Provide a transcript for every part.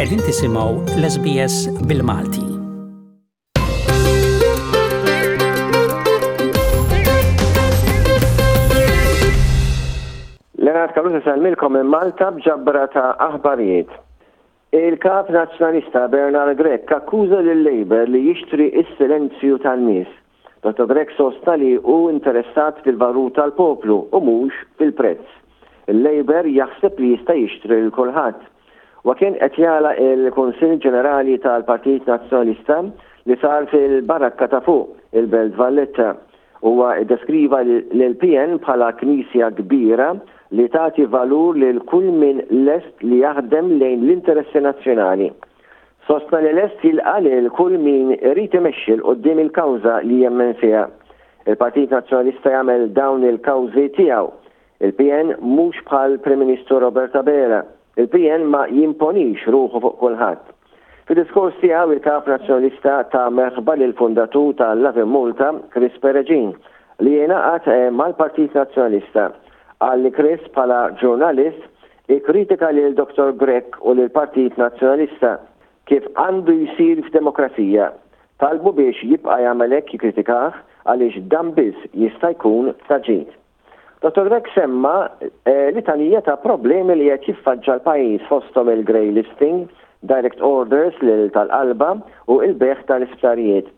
Qegħdin tisimgħu l-SBS bil-Malti. Leonard Caruso salmilkom minn Malta b'ġabra ta' aħbarijiet. Il-Kap Nazzjonalista Bernard Grech akkuża lil Labour li jixtri s-silenzju tan-nies. Dottor Grech sostna li hu interessat fil-valur tal-poplu u mhux fil-prezz. Il-Labour jaħseb li jista' jixtri lil kulħadd. Huwa kien qed jagħlaq il-Kunsill Ġenerali tal-Partit Nazzjonalista li sar fil-Barakka ta' Fuq, il-Belt Valletta. Huwa ddeskriva lill-PN bħala knisja kbira li tagħti valur lil kull min lest li jaħdem lejn l-interessi nazzjonali. Sostna li lest jilqa' lil kull min irid imexxi 'l quddiem il-kawża li jemmen fiha. Il-Partit Nazzjonalista jagħmel dawn il-kawżi tiegħu. Il-PN mhux bħal Prim Ministru Robert Abela. Il-PN ma jimponix ruħu fuq kulħadd. Fid-diskors tiegħu il-Kap Nazzjonalista ta merħba lill-fundatur ta' Lovin Malta, Chris Peregin, li ingħaqad mal-Partit Nazzjonalista. Qal li Chris bħala ġurnalist ikkritika lil Dottor Grech u lill-Partit Nazzjonalista, kif għandu jsir f'demokrazija. Talbu biex jibqa' jagħmel hekk jikkritikah għaliex dan biss jista' jkun ta' ġid. Dottor Grech semma litanija ta' problemi li qed jiffaċċa l-pajjiż fosthom il-grey listing, direct orders lil tal-qalba u l-bejgħ tal-isptarijiet.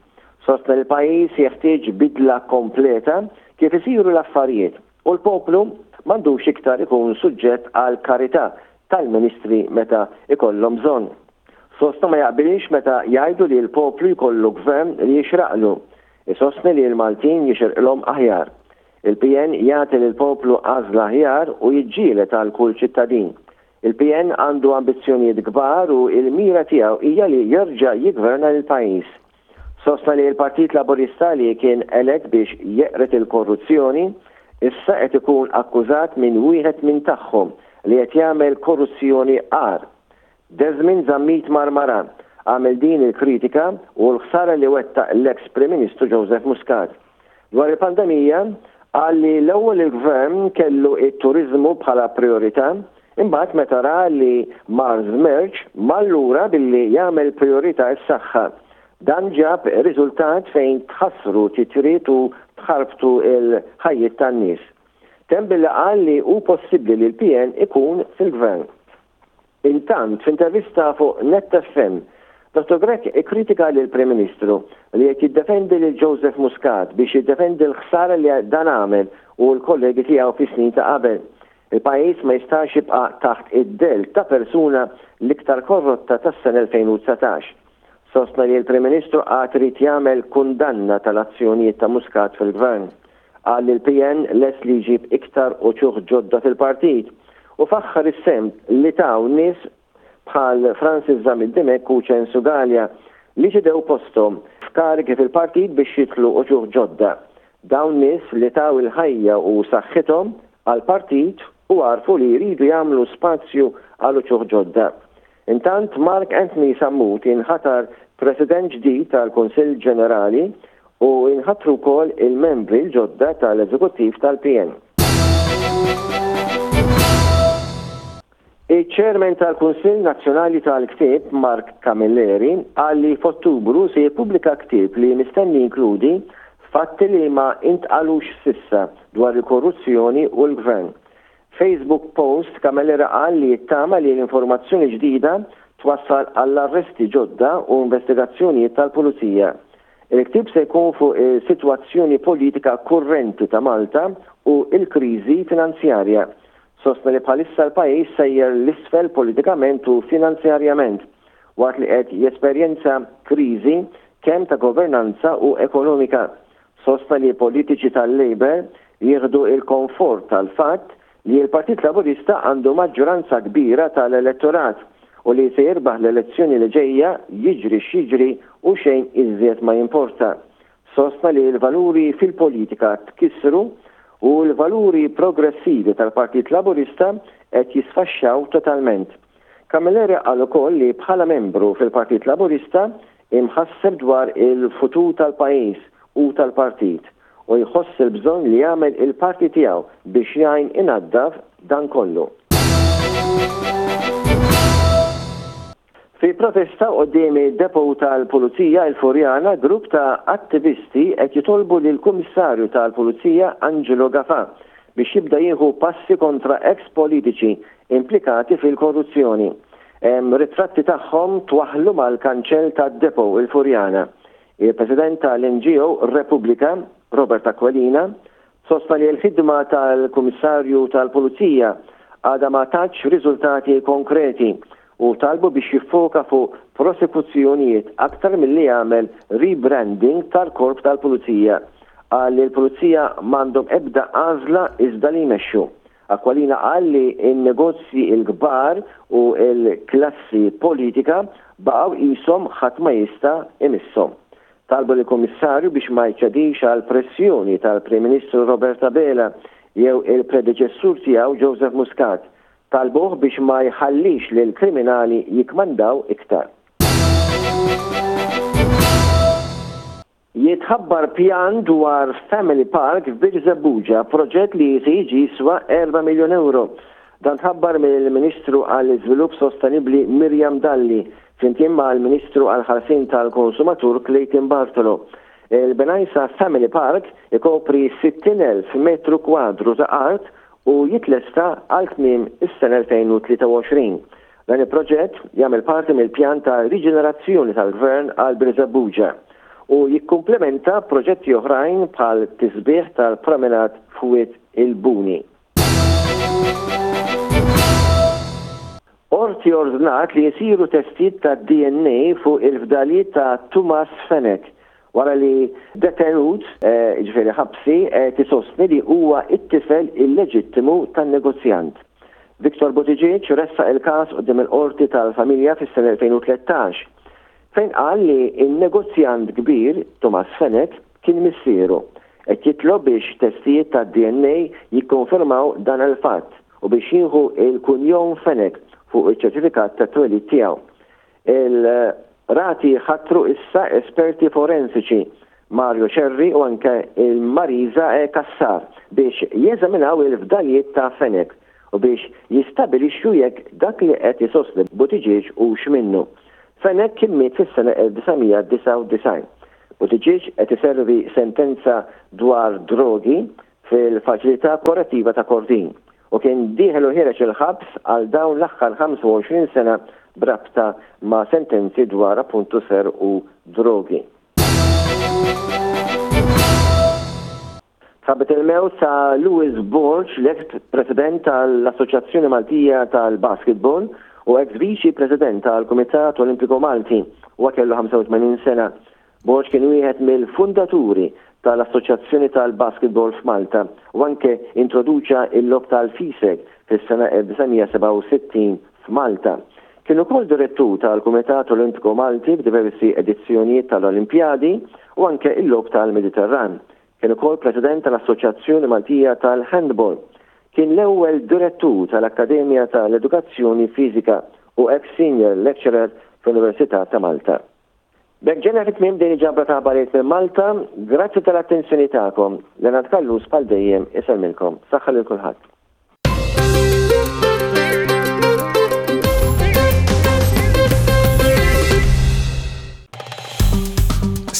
Sostna li l-pajjiż jeħtieġ bidla kompleta kif isiru l-affarijiet u l-poplu m'għandux iktar ikun suġġett għall-karità tal-ministri meta jkollhom bżonn. Sostna ma jaqbilx meta jgħidu li l-poplu jkollu gvern li jixraqlu. Isostni li l-Maltin jixirqilhom aħjar. Il-PN jagħti lill-poplu għażla aħjar u jiġġieled għal kull ċittadin. Il-PN għandu ambizzjonijiet kbar u l-mira tiegħu hija li jerġa' jiggverna lill-pajjiż. Sostna li l-Partit Laburista li kien elett biex jeqred il-korruzzjoni, issa qed ikun akkużat minn wieħed minn tagħhom li qed jagħmel korruzzjoni agħar. Desmond Zammit Marmara għamel din il-kritika u l-ħsara li wettaq l-eks Prim Ministru Joseph Muscat. Dwar il-pandemija, qal li l-ewwel il-Gvern kellu t-turiżmu bħala prijorità, imbagħad meta ra li mar żmerċ, mar lura billi jagħmel prijorità s-saħħa. Dan ġab riżultat fejn tħassru titjiriet u tħarbtu l-ħajjiet tan-nies. Temm billi qal li hu possibbli li l-PN ikun fil-Gvern. Intant, f'intervista fuq Net FM, Dottor Grech ikkritika lill-Prim Ministru li qed jiddefendi lil Joseph Muscat biex jiddefendi l-ħsara li dan għamel u l-kollegi tiegħu fis-snin ta' qabel. Il-pajjiż ma jistax jibqa' taħt id-dell ta' persuna l-iktar korrotta tas-sena 2019. Sostna li l-Prim Ministru għad irid jagħmel kundanna tal-azzjonijiet ta' Muscat fil-Gvern. Qal li l-PN lest li jġib iktar uċuħ ġodda fil-partit u faħħar is-sehem li taw nies bħal Francis Zammit Dimech u Ċensu Galea li ċedew posthom f'karigi fil-partit biex jidħlu uċuħ ġodda. Dawn nies li taw il-ħajja u saħħithom għall-partit u għarfu li jridu jagħmlu spazju għal uċuħ ġodda. Intant Mark Anthony Sammut inħatar President ġdid tal-Kunsill Ġenerali u inħatru wkoll il-membri l-ġodda tal-Eżekuttiv tal-PN. Iċ-Chairman tal-Kunsill Nazzjonali tal-Ktieb, Mark Camilleri, qal li f'Ottubru se jippubblika ktieb li mistenni jinkludi fatti li ma intqalux s'issa dwar il-korruzzjoni u l-Gvern. F'Facebook post, Camilleri qal li jittama li l-informazzjoni ġdida twassal għall-arresti ġodda u investigazzjonijiet tal-Pulizija. Il-ktieb se jkun fuq is-sitwazzjoni politika kurrenti ta' Malta u l-kriżi finanzjarja. Sostna li bħalissa l-pajjiż sejjer 'l isfel politikament u finanzjarjament, waqt li qed jesperjenza kriżi kemm ta' governanza u ekonomika. Sostna li politiċi tal-Labour jieħdu l-konfort tal-fatt li l-Partit Laburista għandu maġġoranza kbira tal-elettorat u li se jirbaħ l-elezzjoni li ġejja jiġri x'jiġri u xejn iżjed ma jimporta. Sostna li l-valuri fil-politika tkissru u l-valuri progressivi tal-Partit Laburista qed jisfaxxaw totalment. Camilleri qal ukoll li bħala membru fil-Partit Laburista imħasseb dwar il-futur tal-pajjiż u tal-partit u jħoss il-bżonn li jagħmel il-parti tiegħu biex jgħin inaddaf dan kollu. protesta quddiem id-depot tal-Pulizija il-Furjana, grupp ta' attivisti qed jitolbu lill-Kummissarju tal-Pulizija Angelo Gafà biex jibda jieħu passi kontra eks politiċi implikati fil-korruzzjoni. Hemm ritratti tagħhom twaħħlu mal-kanċell tad-depot il-Furjana. Il-President tal-NGO Repubblika, Robert Aquilina, sostna li l-ħidma tal-Kummissarju tal-Pulizija għadha ma tatx riżultati konkreti u talbu biex jiffoka fuq prosekuzzjonijiet aktar milli jagħmel rebranding tal-Korp tal-Pulizija. Qal li l-Pulizija m'għandhom ebda għażla iżda li jmexxu. Aquilina qal li n-negozji l-kbar u l-klassi politika baqgħu qishom ħadd ma jista' imisshom. Talbu lill-Kummissarju biex ma jċedix għall-pressjoni tal-Prim Ministru Robert Abela jew il-predeċessur tiegħu Joseph Muscat. Talbuh biex ma jħallix lill-kriminali jikkmandaw iktar. Jitħabbar pjan dwar Family Park f'Birżebbuġa, proġett li se jiġi jiswa erba' miljun ewro. Dan tħabbar mill-Ministru għall-Iżvilupp Sostenibbli Miriam Dalli flimkien mal-Ministru għall-Ħarsien tal-Konsumatur Clayton Bartolo. Il-Bengħajsa Family Park ikopri 60,000 metru kwadru ta' art u jitlesta għal tmiem is-sena 2023. Dan il-proġett jagħmel parti mill-pjan ta' riġenerazzjoni tal-Gvern għal Birżebbuġa u jikkumplementa proġetti oħrajn bħal tisbiħ tal-promenade f'Wied il-Buni. Qorti ordnat li jsiru testijiet tad-DNA fuq il-fdalijiet ta' Tumas Fenech wara li detenut, jiġifieri ħabsi, qed isostni li huwa t-tifel illeġittimu tan-negozjant. Victor Buttigieg ressaq il-każ quddiem il-Qorti tal-Familja fis-sena 2013, fejn qal li n-negozjant kbir, Tumas Fenech, kien missieru. Qed jitlob biex testijiet tad-DNA jikkonfermaw dan il-fatt u biex jieħu l-kunjom Fenech fuq iċ-ċertifikat tat-twelid tiegħu. Il-Qrati ħatru issa esperti forensiċi, Mario Scerri u anke il-Marisa E. Cassar, biex jeżaminaw il-fdalijiet ta' Fenech u biex jistabilixxu jekk dak li qed isostni Buttigieg hux minnu. Fenech kien miet fis-sena 1999. Buttigieg qed iservi sentenza dwar drogi fil-Faċilità Korrettiva ta' Kordin u kien dieħel u ħiereġ il-ħabs għal dawn l-aħħar 25 sena b'rabta ma' sentenzi dwar appuntu serq u drogi. Tħabbet il-mewt ta' Louis Borg, l-eks President tal-Assoċjazzjoni Maltija tal-Basketball u eks Viċi President tal-Kumitat Olimpiku Malti. Huwa kellu 85 sena. Borg kien wieħed mill-fundaturi tal-Assoċjazzjoni tal-Basketball f'Malta u anke introduċa l-logħob tal-FISEG fis-sena 1967 f'Malta. Kien ukoll direttur tal-Kumitat Olimpiku Malti f'diversi edizzjonijiet tal-Olimpjadi u anke l-Logħob tal-Mediterran. Kien ukoll President tal-Assoċjazzjoni Maltija tal-Handball. Kien l-ewwel Direttur tal-Akkademja tal-Edukazzjoni Fiżika u ex Senior Lecturer fl-Università ta' Malta. B'hekk ġejna fi tmiem din il-ġabra ta' aħbarijiet minn Malta. Grazzi tal-attenzjoni tagħkom. Leonard Callus bħal dejjem isellmilkom. Saħħa lil kulħadd.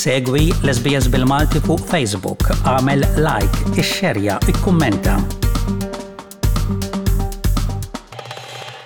Segwi l-SBS bil-Malti fuq Facebook, għamel like, ixxerja, ikkummenta.